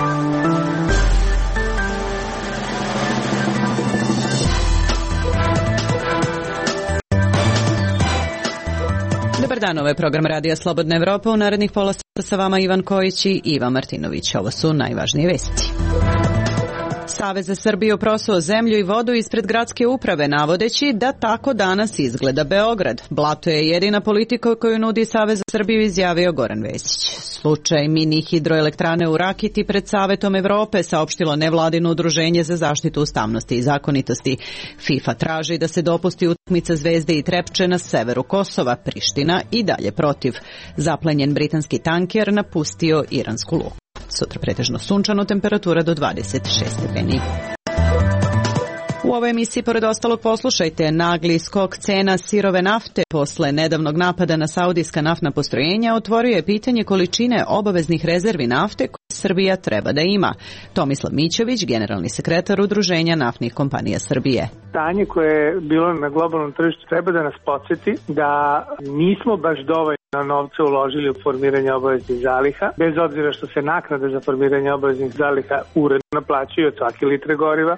Dobar dan, ovo je program Radija Slobodna Evropa. U narednih pola sata sa vama Ivan Kojić i Ivan Martinović. Ovo su najvažnije vesti. Savez za Srbiju prosuo zemlju i vodu ispred gradske uprave, navodeći da tako danas izgleda Beograd. Blato je jedina politika koju nudi Savez za Srbiju, izjavio Goran Vesić. Slučaj mini hidroelektrane u Rakiti pred Savetom Evrope saopštilo nevladino udruženje za zaštitu ustavnosti i zakonitosti. FIFA traži da se dopusti utakmica Zvezde i Trepče na severu Kosova. Priština i dalje protiv. Zaplenjen britanski tanker napustio iransku luku. Sutra pretežno sunčano, temperatura do 26 stepeni. U ovoj emisiji, pored ostalog, poslušajte: nagli skok cena sirove nafte posle nedavnog napada na saudijska naftna postrojenja otvorio je pitanje količine obaveznih rezervi nafte koje Srbija treba da ima. Tomislav Mićović, generalni sekretar Udruženja naftnih kompanija Srbije. Stanje koje je bilo na globalnom tržištu treba da nas podsjeti da nismo baš dovoljno novca uložili u formiranje obaveznih zaliha, bez obzira što se naknade za formiranje obaveznih zaliha uredno naplaćuju od svake litre goriva.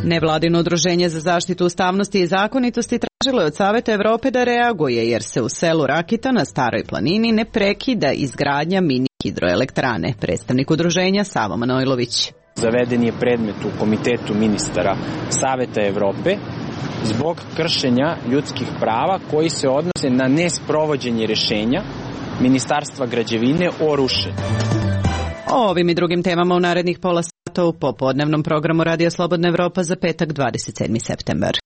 Nevladino udruženje za zaštitu ustavnosti i zakonitosti tražilo je od Saveta Evrope da reaguje, jer se u selu Rakita na Staroj planini ne prekida izgradnja mini hidroelektrane. Predstavnik udruženja Savo Manojlović. Zaveden je predmet u Komitetu ministara Saveta Evrope zbog kršenja ljudskih prava koji se odnose na nesprovođenje rešenja Ministarstva građevine o rušenju. O ovim i drugim temama u narednih pola sata u popodnevnom programu Radija Slobodna Evropa za petak 27. septembar.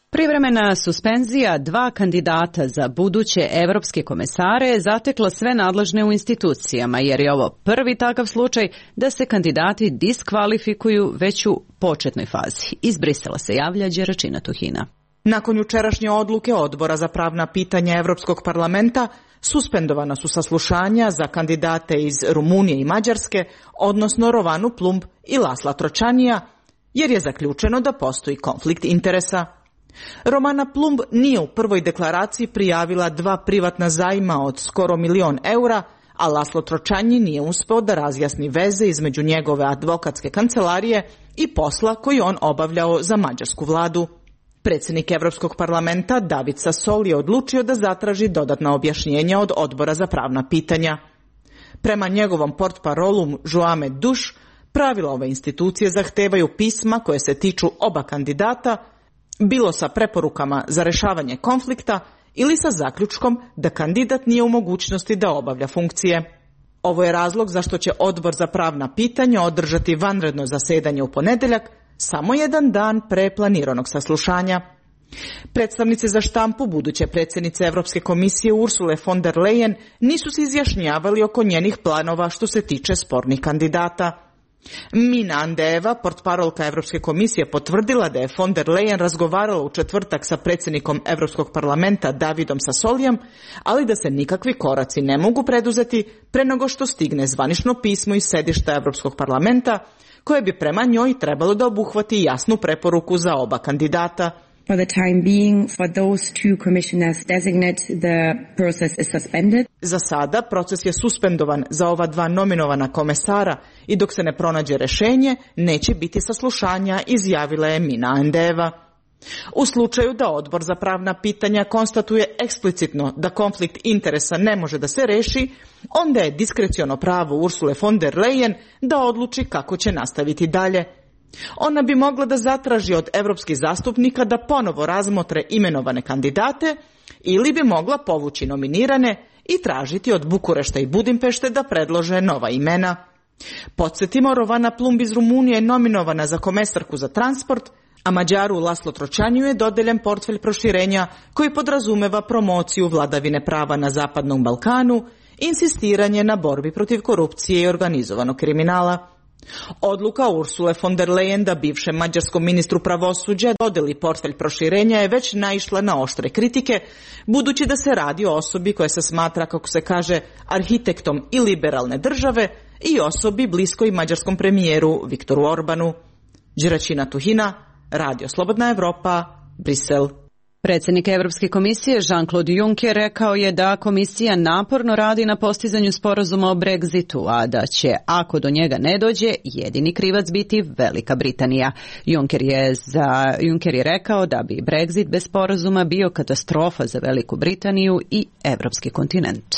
Privremena suspenzija dva kandidata za buduće evropske komesare je zatekla sve nadležne u institucijama, jer je ovo prvi takav slučaj da se kandidati diskvalifikuju već u početnoj fazi. Iz Brisela se javlja Đeračina Tuhina. Nakon jučerašnje odluke Odbora za pravna pitanja Evropskog parlamenta, suspendovana su saslušanja za kandidate iz Rumunije i Mađarske, odnosno Rovanu Plumb i Lasla Tročanija, jer je zaključeno da postoji konflikt interesa. Rovana Plumb nije u prvoj deklaraciji prijavila dva privatna zajma od skoro 1 milion eura, a Laslo Tročanji nije uspeo da razjasni veze između njegove advokatske kancelarije i posla koji on obavljao za mađarsku vladu. Predsjednik Evropskog parlamenta David Sassoli je odlučio da zatraži dodatna objašnjenja od Odbora za pravna pitanja. Prema njegovom portparolu Joame Duš, pravila ove institucije zahtevaju pisma koje se tiču oba kandidata, bilo sa preporukama za rešavanje konflikta ili sa zaključkom da kandidat nije u mogućnosti da obavlja funkcije. Ovo je razlog zašto će Odbor za pravna pitanja održati vanredno zasedanje u ponedeljak, samo jedan dan pre planiranog saslušanja. Predstavnici za štampu buduće predsjednice Evropske komisije Ursule von der Leyen nisu se izjašnjavali oko njenih planova što se tiče spornih kandidata. Mina Andeva, portparolka Evropske komisije, potvrdila da je von der Leyen razgovarala u četvrtak sa predsjednikom Evropskog parlamenta Davidom Sassolijem, ali da se nikakvi koraci ne mogu preduzeti pre nego što stigne zvanično pismo iz sedišta Evropskog parlamenta, koje bi prema njoj trebalo da obuhvati jasnu preporuku za oba kandidata. For the time being, for those two commissioners designate, the process is suspended. Za sada proces je suspendovan za ova dva nominovana komesara i dok se ne pronađe rešenje, neće biti saslušanja, izjavila je Mina Andeva. U slučaju da Odbor za pravna pitanja konstatuje eksplicitno da konflikt interesa ne može da se reši, onda je diskreciono pravo Ursule von der Leyen da odluči kako će nastaviti dalje. Ona bi mogla da zatraži od evropskih zastupnika da ponovo razmotre imenovane kandidate ili bi mogla povući nominirane i tražiti od Bukurešta i Budimpešte da predlože nova imena. Podsjetimo, Rovana Plumb iz Rumunije je nominovana za komesarku za transport, a Mađaru Laslo Tročanju je dodeljen portfelj proširenja koji podrazumeva promociju vladavine prava na Zapadnom Balkanu, insistiranje na borbi protiv korupcije i organizovanog kriminala. Odluka Ursule von der Leyen da bivšem mađarskom ministru pravosuđa dodeli portfelj proširenja je već naišla na oštre kritike, budući da se radi o osobi koja se smatra, kako se kaže, arhitektom i liberalne države i osobi bliskoj mađarskom premijeru Viktoru Orbanu. Đeračina Tuhina, Radio Slobodna Evropa, Brisel. Predsjednik Evropske komisije Jean-Claude Juncker rekao je da komisija naporno radi na postizanju sporazuma o Brexitu, a da će, ako do njega ne dođe, jedini krivac biti Velika Britanija. Juncker je rekao da bi Brexit bez sporazuma bio katastrofa za Veliku Britaniju i evropski kontinent.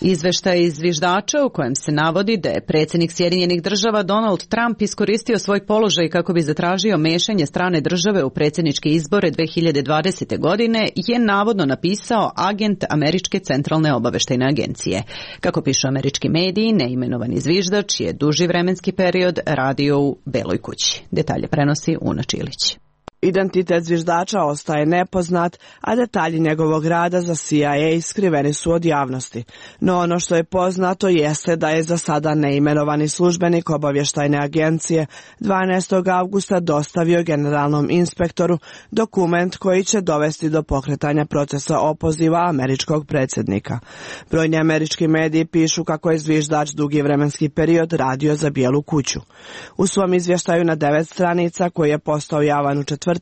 Izveštaj iz zviždača u kojem se navodi da je predsjednik Sjedinjenih Država Donald Trump iskoristio svoj položaj kako bi zatražio mešanje strane države u predsjedničke izbore 2020. godine je navodno napisao agent Američke centralne obaveštajne agencije. Kako pišu američki mediji, neimenovani zviždač je duži vremenski period radio u Beloj kući. Detalje prenosi Una Čilić. Identitet zviždača ostaje nepoznat, a detalji njegovog rada za CIA skriveni su od javnosti. No ono što je poznato jeste da je za sada neimenovani službenik obavještajne agencije 12. avgusta dostavio generalnom inspektoru dokument koji će dovesti do pokretanja procesa opoziva američkog predsjednika. Brojni američki mediji pišu kako je zviždač dugi vremenski period radio za Bijelu kuću. U svom izvještaju na 9 stranica koji je postao javan u četvrtak,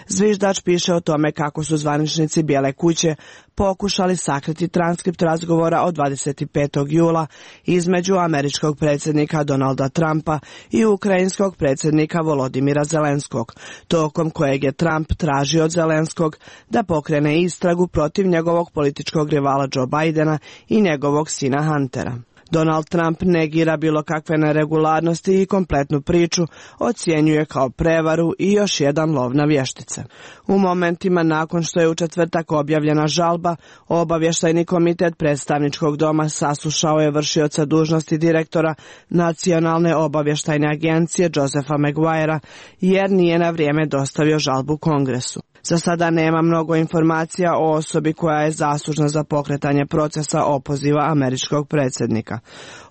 zviždač piše o tome kako su zvaničnici Bijele kuće pokušali sakriti transkript razgovora od 25. jula između američkog predsjednika Donalda Trumpa i ukrajinskog predsjednika Volodimira Zelenskog, tokom kojeg je Trump tražio od Zelenskog da pokrene istragu protiv njegovog političkog rivala Joe Bidena i njegovog sina Huntera. Donald Trump negira bilo kakve neregularnosti i kompletnu priču ocjenjuje kao prevaru i još jedan lov na vještice. U momentima nakon što je u četvrtak objavljena žalba, obavještajni komitet predstavničkog doma saslušao je vršioca dužnosti direktora Nacionalne obavještajne agencije Josepha Maguirea jer nije na vrijeme dostavio žalbu Kongresu. Za sada nema mnogo informacija o osobi koja je zaslužna za pokretanje procesa opoziva američkog predsjednika.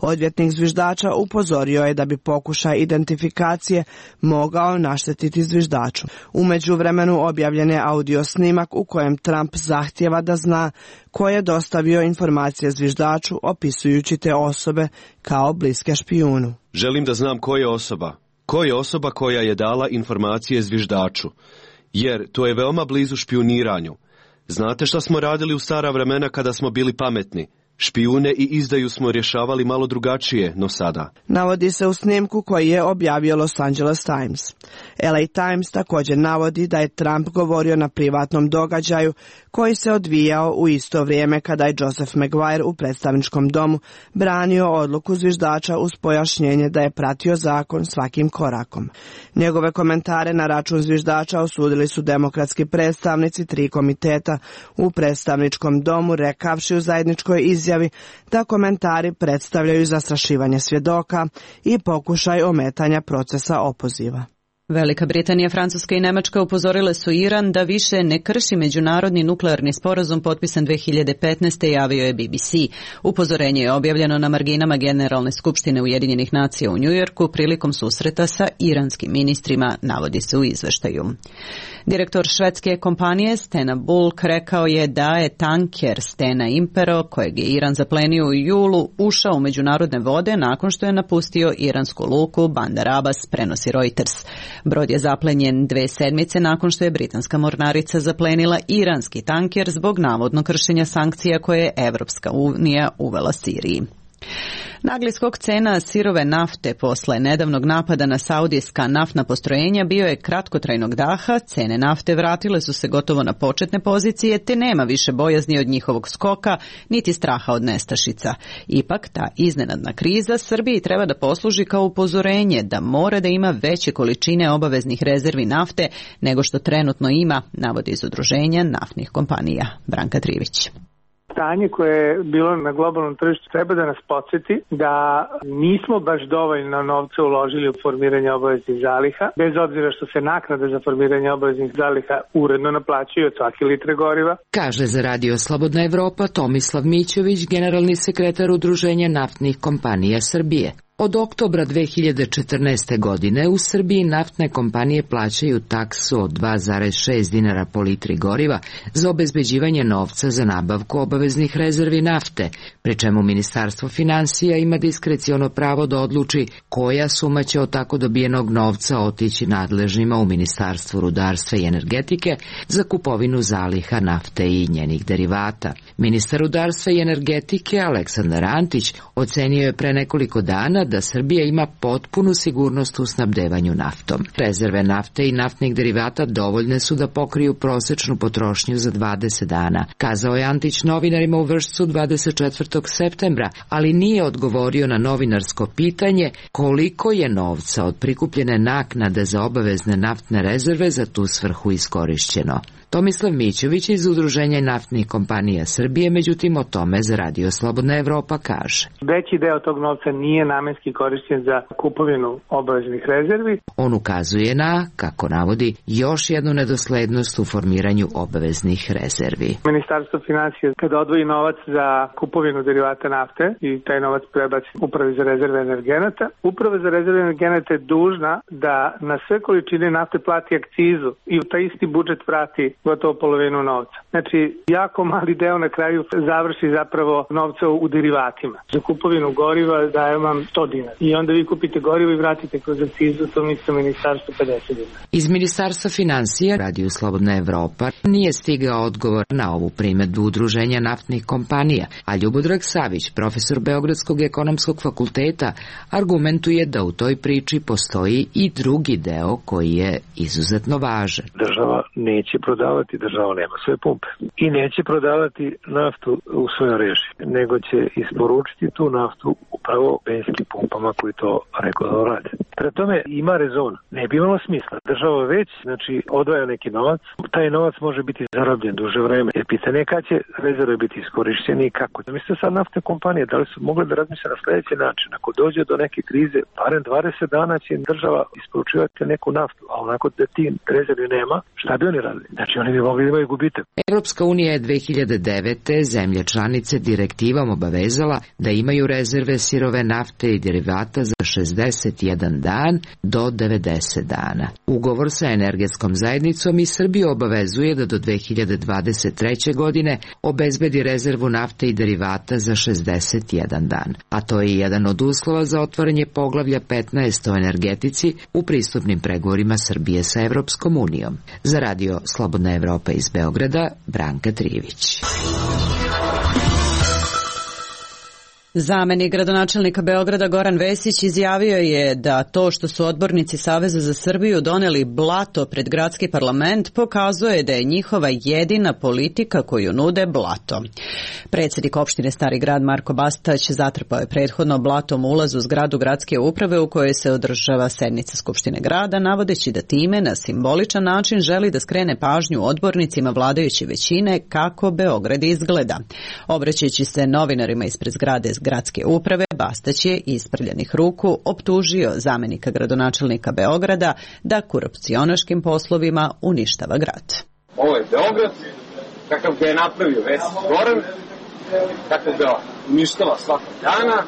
Odvjetnik zviždača upozorio je da bi pokušaj identifikacije mogao naštetiti zviždaču. U međuvremenu objavljen je audio snimak u kojem Trump zahtijeva da zna ko je dostavio informacije zviždaču opisujući te osobe kao bliske špijunu. Želim da znam ko je osoba. Ko je osoba koja je dala informacije zviždaču? Jer to je veoma blizu špijuniranju. Znate šta smo radili u stara vremena kada smo bili pametni? Špijune i izdaju smo rješavali malo drugačije, no sada. Navodi se u snimku koji je objavio Los Angeles Times. LA Times također navodi da je Trump govorio na privatnom događaju koji se odvijao u isto vrijeme kada je Joseph Maguire u predstavničkom domu branio odluku zviždača uz pojašnjenje da je pratio zakon svakim korakom. Njegove komentare na račun zviždača osudili su demokratski predstavnici 3 komiteta u predstavničkom domu, rekavši u zajedničkoj izjavi da komentari predstavljaju zastrašivanje svjedoka i pokušaj ometanja procesa opoziva. Velika Britanija, Francuska i Nemačka upozorile su Iran da više ne krši međunarodni nuklearni sporazum potpisan 2015. javio je BBC. Upozorenje je objavljeno na marginama Generalne skupštine Ujedinjenih nacija u Njujorku prilikom susreta sa iranskim ministrima, navodi se u izveštaju. Direktor švedske kompanije Stena Bulk rekao je da je tanker Stena Impero, kojeg je Iran zaplenio u julu, ušao u međunarodne vode nakon što je napustio iransku luku Bandar Abbas, prenosi Reuters. Brod je zaplenjen 2 sedmice nakon što je britanska mornarica zaplenila iranski tanker zbog navodno kršenja sankcija koje je Evropska unija uvela Siriji. Nagli skok cena sirove nafte posle nedavnog napada na saudijska naftna postrojenja bio je kratkotrajnog daha, cene nafte vratile su se gotovo na početne pozicije te nema više bojazni od njihovog skoka niti straha od nestašica. Ipak ta iznenadna kriza Srbiji treba da posluži kao upozorenje da mora da ima veće količine obaveznih rezervi nafte nego što trenutno ima, navodi iz udruženja naftnih kompanija. Branka Trivić. Stanje koje je bilo na globalnom tržištu treba da nas podsjeti da nismo baš dovoljno novca uložili u formiranje obaveznih zaliha, bez obzira što se naknade za formiranje obaveznih zaliha uredno naplaćuju od svake litre goriva. Kaže za Radio Slobodna Evropa Tomislav Mićović, generalni sekretar Udruženja naftnih kompanija Srbije. Od oktobra 2014. godine u Srbiji naftne kompanije plaćaju taksu od 2,6 dinara po litri goriva za obezbeđivanje novca za nabavku obaveznih rezervi nafte, pri čemu Ministarstvo finansija ima diskreciono pravo da odluči koja suma će od tako dobijenog novca otići nadležnima u Ministarstvu rudarstva i energetike za kupovinu zaliha nafte i njenih derivata. Ministar rudarstva i energetike Aleksandar Antić ocenio je pre nekoliko dana da Srbija ima potpunu sigurnost u snabdevanju naftom. Rezerve nafte i naftnih derivata dovoljne su da pokriju prosečnu potrošnju za 20 dana, kazao je Antić novinarima u Vršcu 24. septembra, ali nije odgovorio na novinarsko pitanje koliko je novca od prikupljene naknade za obavezne naftne rezerve za tu svrhu iskorišćeno. Tomislav Mićović iz Udruženja naftnih kompanija Srbije, međutim o tome za Radio Slobodna Evropa kaže. Veći deo tog novca nije namenski korišćen za kupovinu obaveznih rezervi. On ukazuje na, kako navodi, još jednu nedoslednost u formiranju obaveznih rezervi. Ministarstvo finansija kada odvoji novac za kupovinu derivata nafte i taj novac prebaci Upravi za rezerve energenata, Uprava za rezerve energenata je dužna da na sve količine nafte plati akcizu i u taj isti budžet vrati gotovo polovinu novca. Znači, jako mali deo na kraju završi zapravo novca u derivatima. Za kupovinu goriva dajem vam 100 dinara. I onda vi kupite gorivo i vratite kroz akcizu, to mislim ministarstvo 50 dinara. Iz Ministarstva finansija, Radio Slobodna Evropa, nije stigao odgovor na ovu primedbu Udruženja naftnih kompanija, a Ljubodrag Savić, profesor Beogradskog ekonomskog fakulteta, argumentuje da u toj priči postoji i drugi deo koji je izuzetno važan. Država neće prodavati, država nema svoje pumpe. I neće prodavati naftu u svojoj režiji, nego će isporučiti tu naftu upravo benzinskim pumpama koji to regularno rade. Pre tome ima rezona. Ne bi imalo smisla. Država već, odvaja neki novac, taj novac može biti zarobljen duže vreme. Jer pitanje je kad će rezerve biti iskorišćeni i kako. Mislite sad naftne kompanije, da li su mogle da razmisle na sljedeći način? Ako dođe do neke krize, barem 20 dana će država isporučivati neku naftu, a onako da ti rezervi nema, šta bi oni radili? Znači oni bi mogli da imaju gubitak. Evropska unija je 2009. zemlje članice direktivom obavezala da imaju rezerve sirove nafte i derivata za 61 dan do 90 dana. Ugovor sa energetskom zajednicom i Srbiju obavezuje da do 2023. godine obezbedi rezervu nafte i derivata za 61 dan, a to je jedan od uslova za otvaranje poglavlja 15 o energetici u pristupnim pregovorima Srbije sa Evropskom unijom. Za Radio Slobodna Evropa iz Beograda, Branka Trijević. Zamenik gradonačelnika Beograda Goran Vesić izjavio je da to što su odbornici Saveza za Srbiju doneli blato pred gradski parlament pokazuje da je njihova jedina politika koju nude blato. Predsjednik opštine Stari Grad Marko Bastać zatrpao je prethodno blatom ulaz u zgradu gradske uprave u kojoj se održava sednica Skupštine grada, navodeći da time na simboličan način želi da skrene pažnju odbornicima vladajuće većine kako Beograd izgleda. Obraćajući se novinarima ispred zgrade gradske uprave, Bastać je isprljanih ruku optužio zamenika gradonačelnika Beograda da korupcionaškim poslovima uništava grad. Ovo je Beograd, kakav ga je napravio Vesić Goran, kakav ga uništava svakog dana.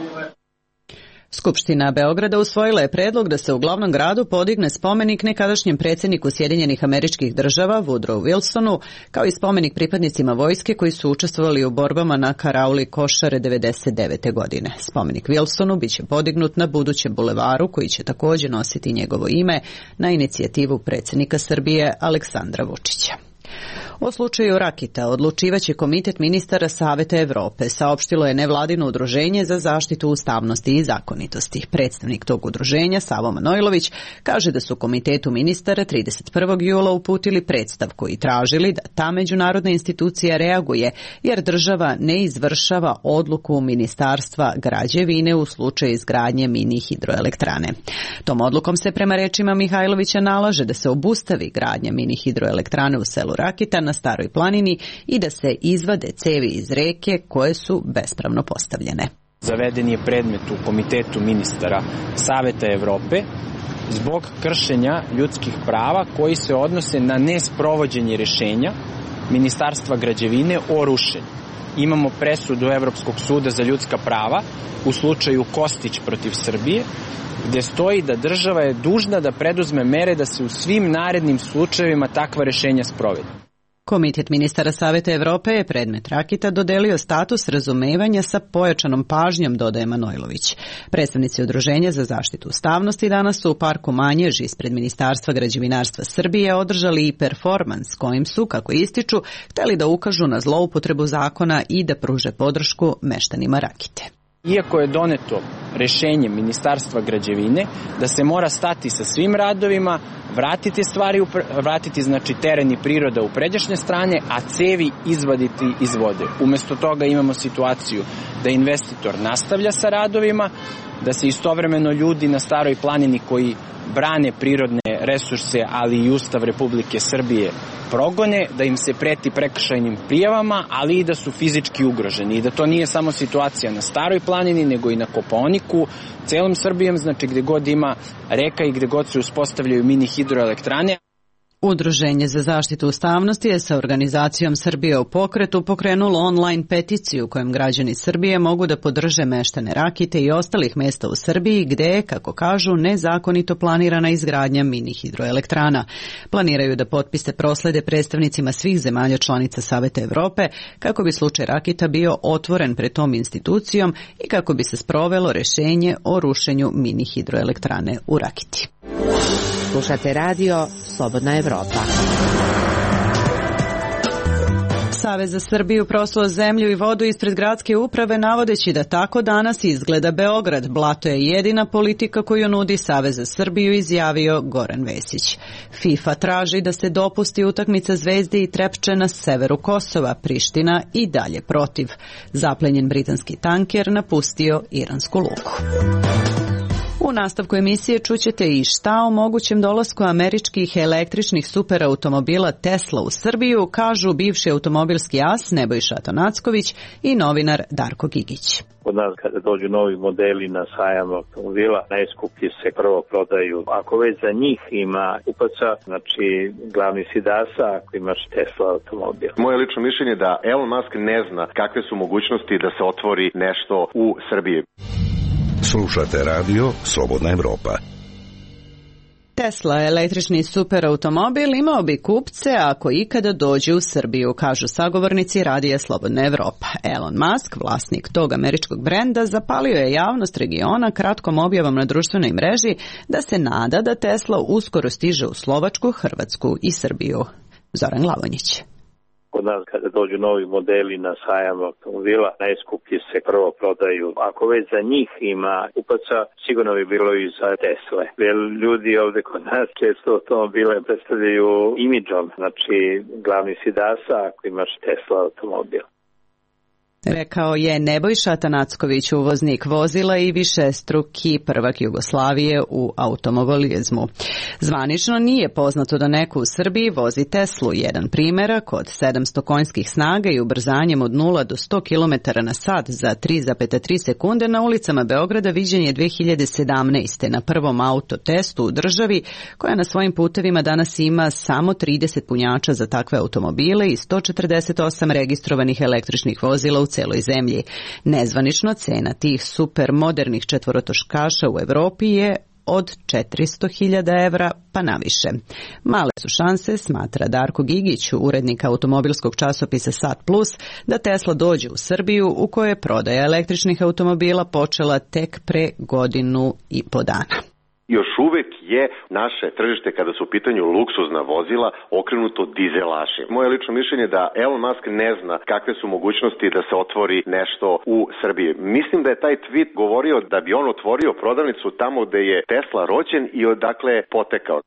Skupština Beograda usvojila je predlog da se u glavnom gradu podigne spomenik nekadašnjem predsjedniku Sjedinjenih Američkih Država Woodrow Wilsonu, kao i spomenik pripadnicima vojske koji su učestvovali u borbama na Karauli Košare 1999. godine. Spomenik Wilsonu biće podignut na budućem bulevaru koji će također nositi njegovo ime na inicijativu predsjednika Srbije Aleksandra Vučića. O slučaju Rakita odlučivaće Komitet ministara Saveta Evrope, saopštilo je nevladino udruženje za zaštitu ustavnosti i zakonitosti. Predstavnik tog udruženja, Savo Manojlović, kaže da su Komitetu ministara 31. jula uputili predstavku i tražili da ta međunarodna institucija reaguje, jer država ne izvršava odluku Ministarstva građevine u slučaju izgradnje mini hidroelektrane. Tom odlukom se prema rečima Mihajlovića nalaže da se obustavi gradnja mini hidroelektrane u selu Rakita na Staroj planini i da se izvade cevi iz reke koje su bespravno postavljene. Zaveden je predmet u Komitetu ministara Saveta Evrope zbog kršenja ljudskih prava koji se odnose na nesprovođenje rešenja Ministarstva građevine o rušenju. imamo presudu Evropskog suda za ljudska prava u slučaju Kostić protiv Srbije, gde stoji da država je dužna da preduzme mere da se u svim narednim slučajevima takva rešenja sprovede. Komitet ministara Saveta Evrope je predmet Rakita dodelio status razumevanja sa pojačanom pažnjom, dodaje Manojlović. Predstavnici Udruženja za zaštitu ustavnosti danas su u parku Manjež ispred Ministarstva građevinarstva Srbije održali i performans kojim su, kako ističu, hteli da ukažu na zloupotrebu zakona i da pruže podršku meštanima Rakite. Iako je doneto rešenje Ministarstva građevine da se mora stati sa svim radovima, vratiti znači teren i priroda u pređašnje strane, a cevi izvaditi iz vode. Umesto toga imamo situaciju da investitor nastavlja sa radovima, da se istovremeno ljudi na Staroj planini koji brane prirodne resurse, ali i Ustav Republike Srbije progone, da im se preti prekršajnim prijavama, ali i da su fizički ugroženi. I da to nije samo situacija na Staroj planini, nego i na Kopaoniku, celom Srbijom, znači gde god ima reka i gde god se uspostavljaju mini hidroelektrane. Udruženje za zaštitu ustavnosti je sa organizacijom Srbije u pokretu pokrenulo online peticiju kojom građani Srbije mogu da podrže meštane Rakite i ostalih mesta u Srbiji gde je, kako kažu, nezakonito planirana izgradnja mini hidroelektrana. Planiraju da potpise proslede predstavnicima svih zemalja članica Saveta Evrope kako bi slučaj Rakita bio otvoren pred tom institucijom i kako bi se sprovelo rešenje o rušenju mini hidroelektrane u Rakiti. Slušate radio Slobodna Evropa. Savez za Srbiju prosuo zemlju i vodu ispred gradske uprave navodeći da tako danas izgleda Beograd. Blato je jedina politika koju nudi Savez za Srbiju, izjavio Goran Vesić. FIFA traži da se dopusti utakmica Zvezde i Trepče na severu Kosova, Priština i dalje protiv. Zaplenjen britanski tanker napustio iransku luku. U nastavku emisije čućete i šta o mogućem dolasku američkih električnih superautomobila Tesla u Srbiju, kažu bivši automobilski as Nebojša Atanacković i novinar Darko Gigić. Kod nas kada dođu novi modeli na sajam automobila, najskuplji se prvo prodaju. Ako već za njih ima kupaca, znači glavni si DAS-a ako imaš Tesla automobil. Moje lično mišljenje je da Elon Musk ne zna kakve su mogućnosti da se otvori nešto u Srbiji. Slušate radio Slobodna Evropa. Tesla, električni superautomobil, imao bi kupce ako ikada dođe u Srbiju, kažu sagovornici radija Slobodna Evropa. Elon Musk, vlasnik tog američkog brenda, zapalio je javnost regiona kratkom objavom na društvenoj mreži da se nada da Tesla uskoro stiže u Slovačku, Hrvatsku i Srbiju. Zoran Glavonjić. Kod nas kada dođu novi modeli na sajam automobila, najskuplji se prvo prodaju. Ako već za njih ima kupaca, sigurno bi bilo i za Tesle. Jer ljudi ovde kod nas često automobile predstavljaju imidžom, znači glavni si DAS-a ako imaš Tesla automobil. Rekao je Nebojša Atanacković, uvoznik vozila i višestruki prvak Jugoslavije u automobilizmu. Zvanično nije poznato da neko u Srbiji vozi Teslu. Jedan primerak od 700 konjskih snaga i ubrzanjem od 0 do 100 km na sat za 3,3 sekunde na ulicama Beograda viđen je 2017. na prvom autotestu u državi, koja na svojim putevima danas ima samo 30 punjača za takve automobile i 148 registrovanih električnih vozila u celoj zemlji. Nezvanično cena tih supermodernih četvorotočkaša u Evropi je od 400.000 evra pa naviše. Male su šanse, smatra Darko Gigić, urednik automobilskog časopisa Sat Plus, da Tesla dođe u Srbiju u kojoj je prodaja električnih automobila počela tek pre 1.5 godina. Još uvek je naše tržište kada su u pitanju luksuzna vozila okrenuto dizelašima. Moje lično mišljenje je da Elon Musk ne zna kakve su mogućnosti da se otvori nešto u Srbiji. Mislim da je taj tweet govorio da bi on otvorio prodavnicu tamo gde je Tesla rođen i odakle je potekao.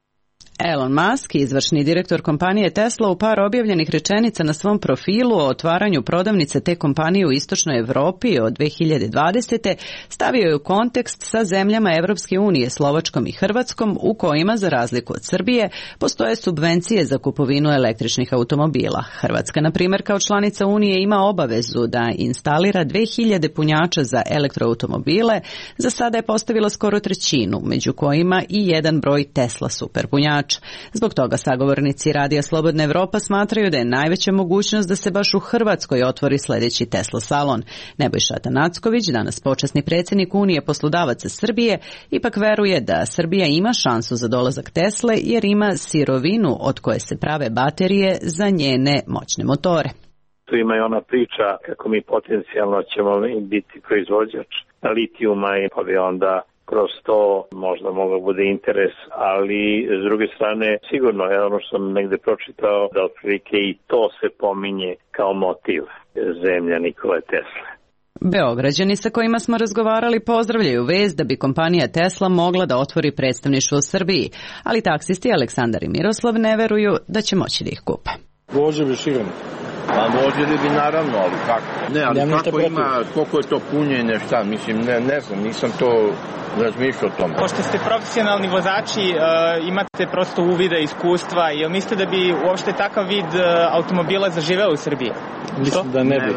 Elon Musk, izvršni direktor kompanije Tesla, u par objavljenih rečenica na svom profilu o otvaranju prodavnice te kompanije u istočnoj Evropi od 2020. stavio je u kontekst sa zemljama Evropske unije, Slovačkom i Hrvatskom, u kojima, za razliku od Srbije, postoje subvencije za kupovinu električnih automobila. Hrvatska, na primjer, kao članica Unije ima obavezu da instalira 2000 punjača za elektroautomobile, za sada je postavila skoro trećinu, među kojima i jedan broj Tesla superpunjača. jač. Zbog toga sagovornici Radija Slobodna Evropa smatraju da je najveća mogućnost da se baš u Hrvatskoj otvori sljedeći Tesla salon. Nebojša Tanacković, danas počasni predsjednik Unije poslodavaca Srbije, ipak veruje da Srbija ima šansu za dolazak Tesle jer ima sirovinu od koje se prave baterije za njene moćne motore. Tu ima i ona priča kako mi potencijalno ćemo biti proizvođač litijuma i pa bi onda kroz to možda mogao bude interes, ali s druge strane sigurno je ono što sam negde pročitao da otprilike i to se pominje kao motiv zemlja Nikole Tesle. Beograđani sa kojima smo razgovarali pozdravljaju vest da bi kompanija Tesla mogla da otvori predstavništvo u Srbiji, ali taksisti Aleksandar i Miroslav ne veruju da će moći da ih kupe. Vozili bi sigurno. Pa vozili bi naravno, ali kako? Ne, ali kako ima, koliko je to punjenje, šta, mislim, ne znam, nisam to razmišljao o tome. Pošto ste profesionalni vozači, imate prosto uvida, iskustva, jel mislite da bi uopšte takav vid automobila zaživeo u Srbiji? Mislim da ne bi.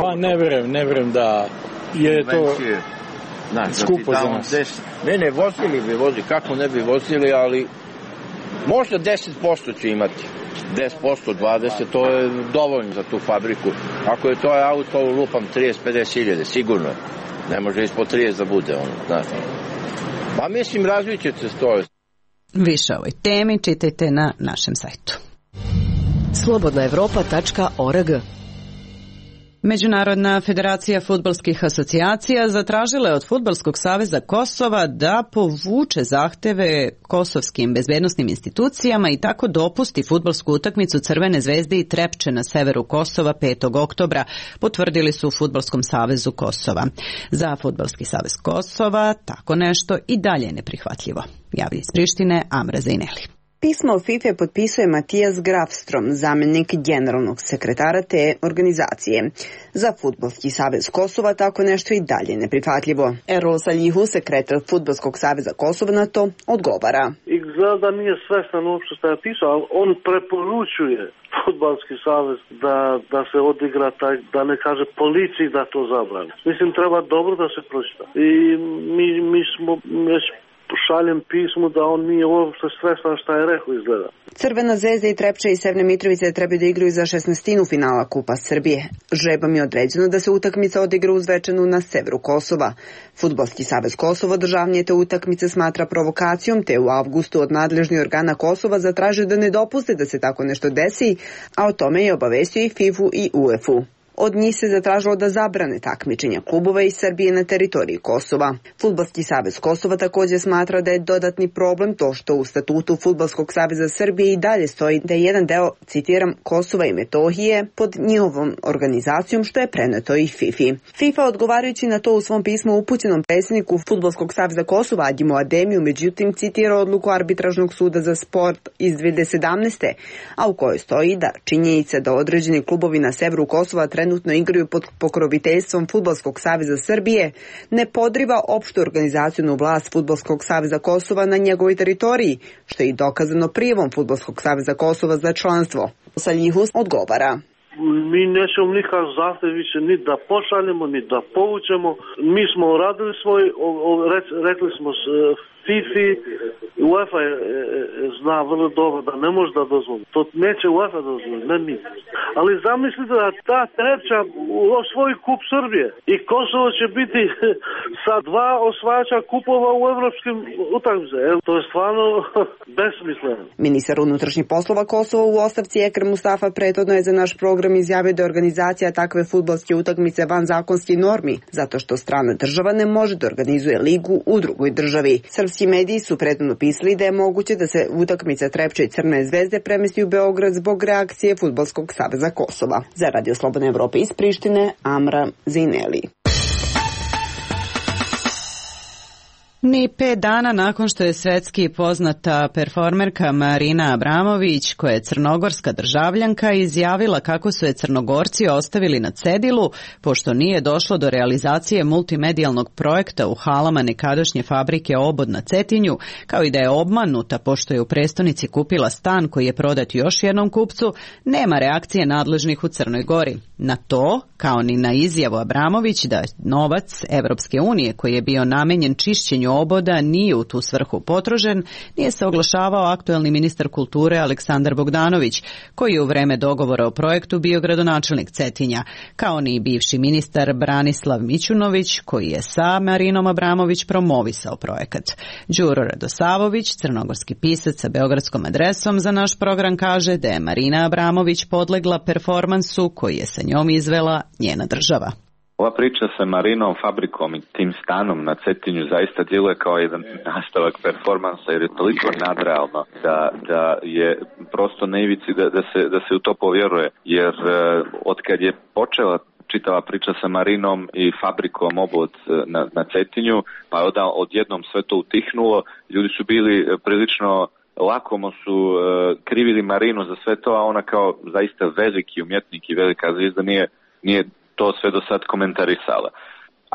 Pa ne verujem da je to skupo za nas. Ne, vozili bi, kako ne bi vozili, ali možda 10% će imati. 10%, 20%, to je dovoljno za tu fabriku. Ako je to auto, lupam 30-50 hiljade, sigurno je. Ne može ispod 30 da bude ono, znaš. Pa mislim, razvit će se to. Više o ovoj temi čitajte na našem sajtu. slobodnaevropa.org. Međunarodna federacija fudbalskih asocijacija zatražila je od Fudbalskog saveza Kosova da povuče zahteve kosovskim bezbednosnim institucijama i tako dopusti fudbalsku utakmicu Crvene zvezde i Trepče na severu Kosova 5. oktobra, potvrdili su u Fudbalskom savezu Kosova. Za Fudbalski savez Kosova tako nešto i dalje je neprihvatljivo. Javi iz Prištine Amra Zajneli. Pismo FIFA potpisuje Matijas Grafstrom, zamjenik generalnog sekretara te organizacije. Za Fudbalski savez Kosova tako nešto i dalje neprihvatljivo. Erol Saljihu, sekretar Fudbalskog saveza Kosova, na to odgovara. Izgleda da nije svestan uopšte što je pisao, ali on preporučuje Fudbalski savez da se odigra taj, da ne kaže policiji da to zabrani. Mislim, treba dobro da se pročita. I mi smo već šaljem pismu da on nije uopšte svestan šta je rekao, izgleda. Crvena zvezda i Trepča i Severne Mitrovice trebaju da igraju za 16. finala Kupa Srbije. Žrebom je određeno da se utakmica odigra u Zvečanu na severu Kosova. Fudbalski savez Kosova državnije te utakmice smatra provokacijom, te u avgustu od nadležnih organa Kosova zatražio da ne dopuste da se tako nešto desi, a o tome je obavestio i FIFA i UEFA. Od njih se zatražilo da zabrane takmičenja klubova iz Srbije na teritoriji Kosova. Fudbalski savez Kosova također smatra da je dodatni problem to što u statutu Fudbalskog saveza Srbije i dalje stoji da je jedan deo, citiram, Kosova i Metohije pod njihovom organizacijom, što je preneto i FIFA. FIFA odgovarajući na to u svom pismu upućenom predsjedniku Fudbalskog saveza Kosova Adjimu Ademiju, međutim citira odluku arbitražnog suda za sport iz 2017. a u kojoj stoji da činjenica da određeni klubovi na severu Kosova trenutno igraju pod pokroviteljstvom Fudbalskog saveza Srbije ne podriva opštu organizacijonu vlast Fudbalskog saveza Kosova na njegovoj teritoriji, što je i dokazano prijavom Fudbalskog saveza Kosova za članstvo. Saljihus odgovara. Mi nećemo nikakav zahtev više ni da pošaljemo, ni da povučemo. Mi smo uradili svoj, rekli smo FIFA, UEFA zna vrlo dobro da ne može da dozvoli. To neće UEFA dozvoliti, ne mi. Ali zamislite da ta Trepča osvoji kup Srbije i Kosovo će biti sa 2 osvajača kupova u evropskim utakmicama. To je stvarno besmisleno. Ministar unutrašnjih poslova Kosova u ostavci Ekrem Mustafa prethodno je za naš program izjavio da je organizacija takve fudbalske utakmice van zakonskih normi, zato što strana država ne može da organizuje ligu u drugoj državi. Srpski mediji su prethodno pisali da je moguće da se utakmica Trepče i Crne zvezde premesti u Beograd zbog reakcije Fudbalskog saveza Kosova. Za Radio Slobodna Evropa iz Prištine, Amra Zajneli. Ni 5 dana nakon što je svetski poznata performerka Marina Abramović, koja je crnogorska državljanka, izjavila kako su je Crnogorci ostavili na cedilu, pošto nije došlo do realizacije multimedijalnog projekta u halama nekadašnje fabrike Obod na Cetinju, kao i da je obmanuta pošto je u prestonici kupila stan koji je prodat još jednom kupcu, nema reakcije nadležnih u Crnoj Gori. na to, kao ni na izjavu Abramović da novac Evropske unije koji je bio namenjen čišćenju oboda nije u tu svrhu potrošen, nije se oglašavao aktuelni ministar kulture Aleksandar Bogdanović, koji je u vreme dogovora o projektu bio gradonačelnik Cetinja, kao ni bivši ministar Branislav Mićunović, koji je sa Marinom Abramović promovisao projekat. Đuro Radosavović, crnogorski pisac sa beogradskom adresom, za naš program kaže da je Marina Abramović podlegla performansu koji je sa njom izvela njena država. Ova priča sa Marinom, fabrikom i tim stanom na Cetinju zaista djeluje kao jedan nastavak performansa, jer je toliko nadrealno da je prosto na ivici da se u to povjeruje, jer otkad je počela čitava priča sa Marinom i fabrikom obod na Cetinju, pa je odjednom sve to utihnulo, ljudi su bili prilično lakomo su krivili Marinu za sve to, a ona kao zaista veliki umjetnik i velika zvijezda nije to sve do sad komentarisala.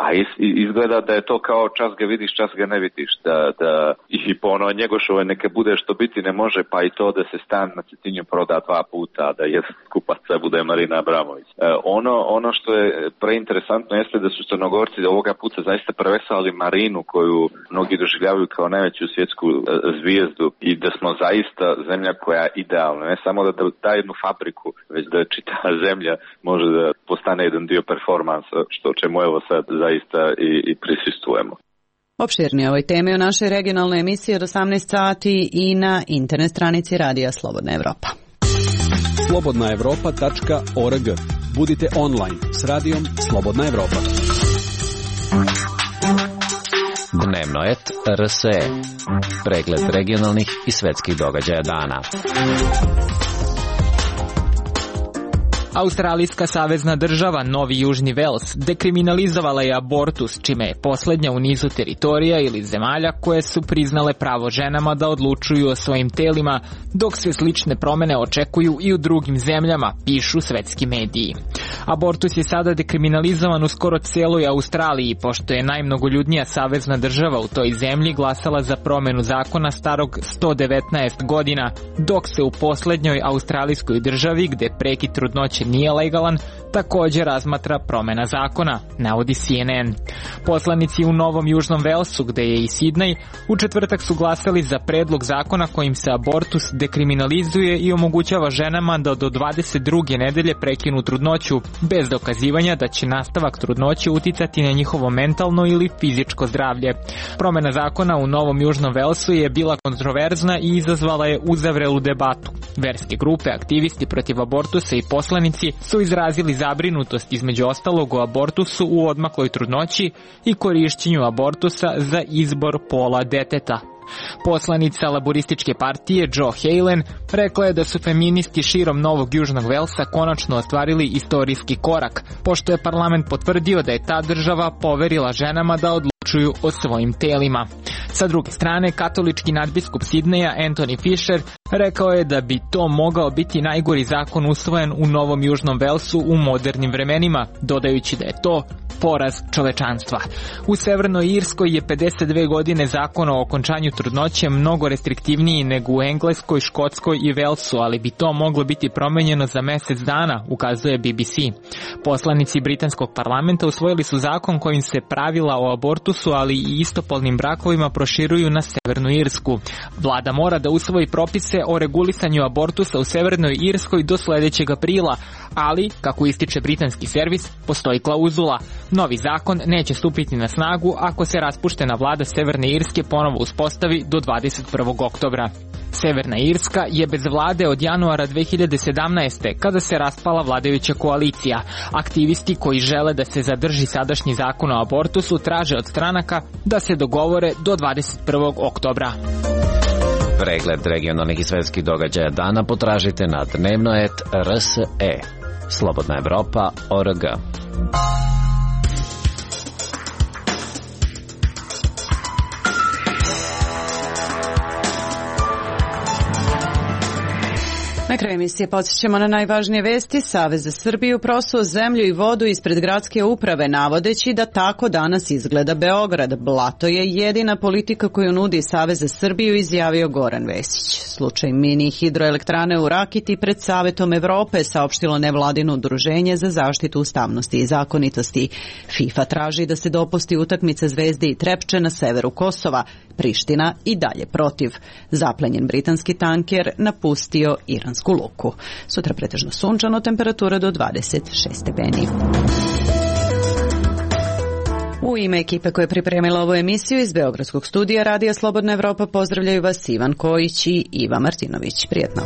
A izgleda da je to kao čas ga vidiš, čas ga ne vidiš, da i po ono Njegošove neka bude što biti ne može, pa i to da se stan na Cetinju proda 2 puta, da jedan kupaca bude Marina Abramović. Ono što je preinteresantno jeste da su Crnogorci ovoga puta zaista prevesali Marinu, koju mnogi doživljavaju kao najveću svjetsku zvijezdu, i da smo zaista zemlja koja je idealna, ne samo da da jednu fabriku, već da čitava zemlja može da postane jedan dio performansa, što čemu evo sad zaista i prisustujemo. Opširnije ovoj temi o našoj regionalnoj emisiji od 18 sati i na internet stranici Radija Slobodna Evropa. slobodnaevropa.org. Budite online s Radijom Slobodna Evropa. Dnevno et RSE. Pregled regionalnih i svetskih događaja dana. Australijska savezna država Novi Južni Vels dekriminalizovala je abortus, čime je posljednja u nizu teritorija ili zemalja koje su priznale pravo ženama da odlučuju o svojim telima, dok se slične promjene očekuju i u drugim zemljama, pišu svetski mediji. Abortus je sada dekriminalizovan u skoro cijeloj Australiji, pošto je najmnogoljudnija savezna država u toj zemlji glasala za promjenu zakona starog 119 godina, dok se u posljednjoj australijskoj državi, gdje prekid trudnoće nije legalan, također razmatra promjena zakona, navodi CNN. Poslanici u Novom Južnom Velsu, gdje je i Sidney, u četvrtak su glasali za predlog zakona kojim se abortus dekriminalizuje i omogućava ženama da do 22. nedelje prekinu trudnoću, bez dokazivanja da će nastavak trudnoće uticati na njihovo mentalno ili fizičko zdravlje. Promjena zakona u Novom Južnom Velsu je bila kontroverzna i izazvala je uzavrelu debatu. Verske grupe, aktivisti protiv abortusa i poslanici su izrazili zabrinutost između ostalog o abortusu u odmakloj trudnoći i korišćenju abortusa za izbor pola deteta. Poslanica laborističke partije Joe Halen rekla je da su feministi širom Novog Južnog Velsa konačno ostvarili istorijski korak, pošto je parlament potvrdio da je ta država poverila ženama da odlučuju o svojim telima. Sa druge strane, katolički nadbiskup Sidneja Anthony Fisher rekao je da bi to mogao biti najgori zakon usvojen u Novom Južnom Velsu u modernim vremenima, dodajući da je to poraz čovečanstva. U Severnoj Irskoj je 52 godine zakon o okončanju trudnoće mnogo restriktivniji nego u Engleskoj, Škotskoj i Velsu, ali bi to moglo biti promenjeno za mjesec dana, ukazuje BBC. Poslanici britanskog parlamenta usvojili su zakon kojim se pravila o abortusu, ali i istopolnim brakovima proširuju na Severnu Irsku. Vlada mora da usvoji propise o regulisanju abortusa u Severnoj Irskoj do sljedećeg aprila, ali, kako ističe britanski servis, postoji klauzula. Novi zakon neće stupiti na snagu ako se raspuštena vlada Severne Irske ponovo uspostavi do 21. oktobra. Severna Irska je bez vlade od januara 2017. kada se raspala vladajuća koalicija. Aktivisti koji žele da se zadrži sadašnji zakon o abortusu traže od stranaka da se dogovore do 21. oktobra. Pregled regionalnih i svetskih događaja dana potražite na dnevno.rt.rs.e. Slobodna Evropa.org. Na kraju emisije podsjećamo na najvažnije vesti. Savez za Srbiju prosuo zemlju i vodu ispred gradske uprave, navodeći da tako danas izgleda Beograd. Blato je jedina politika koju nudi Savez za Srbiju, izjavio Goran Vesić. Slučaj mini hidroelektrane u Rakiti pred Savetom Evrope, saopštilo nevladino udruženje za zaštitu ustavnosti i zakonitosti. FIFA traži da se dopusti utakmica Zvezde i Trepče na severu Kosova. Priština i dalje protiv. Zaplenjen britanski tanker napustio iransku luku. Sutra pretežno sunčano, temperatura do 26 stepeni. U ime ekipe koja je pripremila ovu emisiju iz Beogradskog studija Radija Slobodna Evropa pozdravljaju vas Ivan Kojić i Iva Martinović. Prijetno.